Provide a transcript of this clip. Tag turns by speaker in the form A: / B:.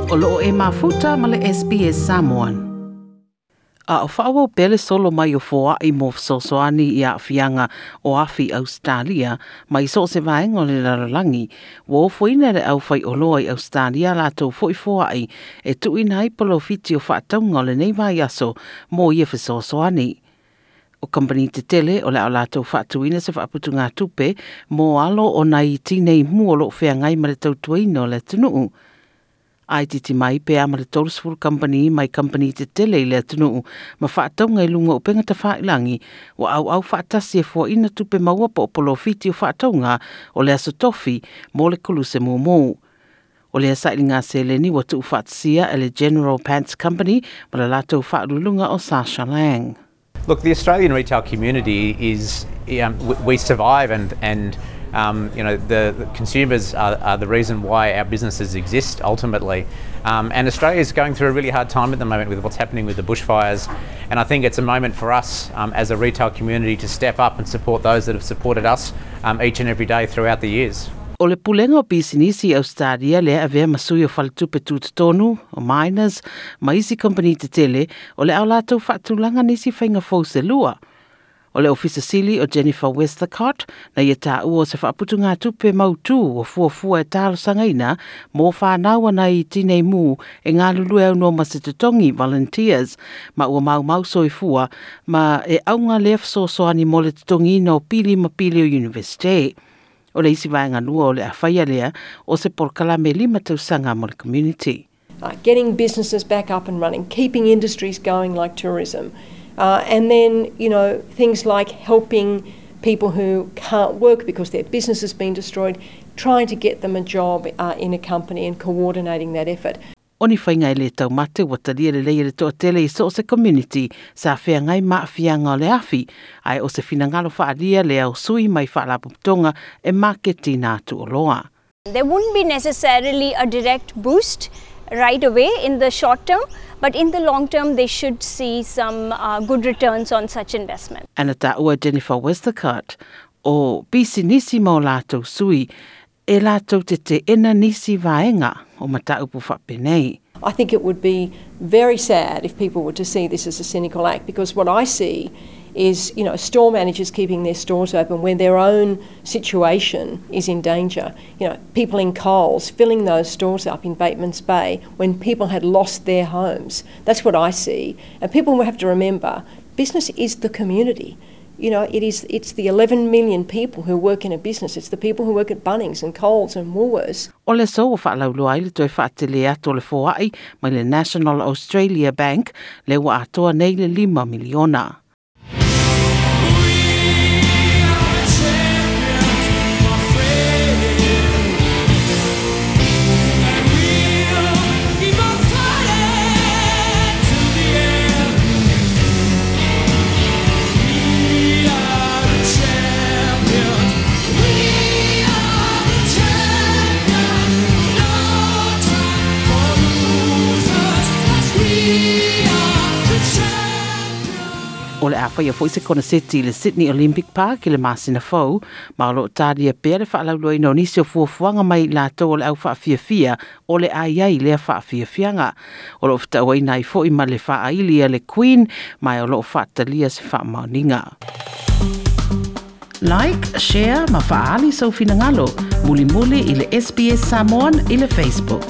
A: O loo e mafuta ma le SBS Samoan. A o faaauau pea le solo mai o foai mo fesoasoani i aafiaga o afi Ausetalia mai so o se vaega o le lalolagi, ua ofoina e le aufaioloa i Ausetalia latou foi foai e tuuina ai polofiti o faatauga o lenei vaiaso mo ia fesoasoani. O kamupani tetele o le a latou faatuina se faaputugatupe mo alo o nai tinei mu o loo feagai ma le tautuaina o le atunuu. Ai titi mai pe a ma le 30 kamupani mai kamupani tetele i le atunuu ma faatauga i luga o upega tafailagi ua auau faatasi e fuaina tupe maua po o polofiti o faatauga o le aso tofi mo le koluse mumu. O lea sailiga seleni ua tuufaatasia e le General Pants Company ma le latou faauluuluga o Sasha Lang.
B: Look, the Australian retail community is, we survive and the consumers are the reason why our businesses exist ultimately. And Australia is going through a really hard time at the moment with what's happening with the bushfires. And I think it's a moment for us as a retail community to step up and support those that have supported us each and every day throughout the years.
A: O le pulega o pisinisi i Australia lea avea ma sui o faletupe tutotonu, o Miners, ma isi kompani tetele, o le a latou faatulaga nisi faiga fou se lua. O le ofisa sili o Jennifer Westacott na ia taua o se faaputugatupe mautū o fuafua e talosagaina mo whanau nai tinei mu e galulue aunoa ma se totogi volunteers ma ua maumau soifua ma e auga lea fesoasoani mo le totogiina o pili ma pili o university. O le isi vaega lua o le a faia lea o se polokalame 5 tausaga mo le community.
C: Getting businesses back up and running, keeping industries going like tourism, and then things like helping people who can't work because their business has been destroyed, trying to get them a job in a company and coordinating that effort.
A: O ni faiga e le taumate ua talia lelei e le toatele i so o se community sa feagai ma aafiaga o le afi, ae o se finagalo faaalia lea o sui mai faalapotopotoga e maketiina atu oloa.
D: There wouldn't be necessarily a direct boost right away in the short term, but in the long term, they should see some good returns on such investment.
A: Ana taua Jennifer Westacott o pisinisi ma o latou sui e latou te teena nisi vaega o mataupu faapenei.
C: I think it would be very sad if people were to see this as a cynical act, because what I see is store managers keeping their stores open when their own situation is in danger. People in Coles filling those stores up in Batemans Bay when people had lost their homes. That's what I see. And people will have to remember, business is the community. It's the 11 million people who work in a business. It's the people who work at Bunnings and Coles and Woolworths.
A: O le aso ua faalauiloa ai le toe faatele atu o le foai mai le National Australia Bank le ua atoa nei le 5 miliona.
E: We are the champions, my friend. And we'll keep on fighting till the end. We are the champions. We are the champions. No time for losers. 'Cause we are the champions.
A: O le a faia foi se koneseti i le Sydney Olympic Park i le masina fou, ma o loo talia pea le faalauiloaina o nisi o fuafuaga mai latou o le au faafiafia o le a i ai lea faafiafiaga. O loo fetauaina ai foi ma le faaili a le Queen, ma o loo faatalia se faamaoniga. Like, share ma faaali sou finagalo. Mulimuli i le SBS Samoan i le Facebook.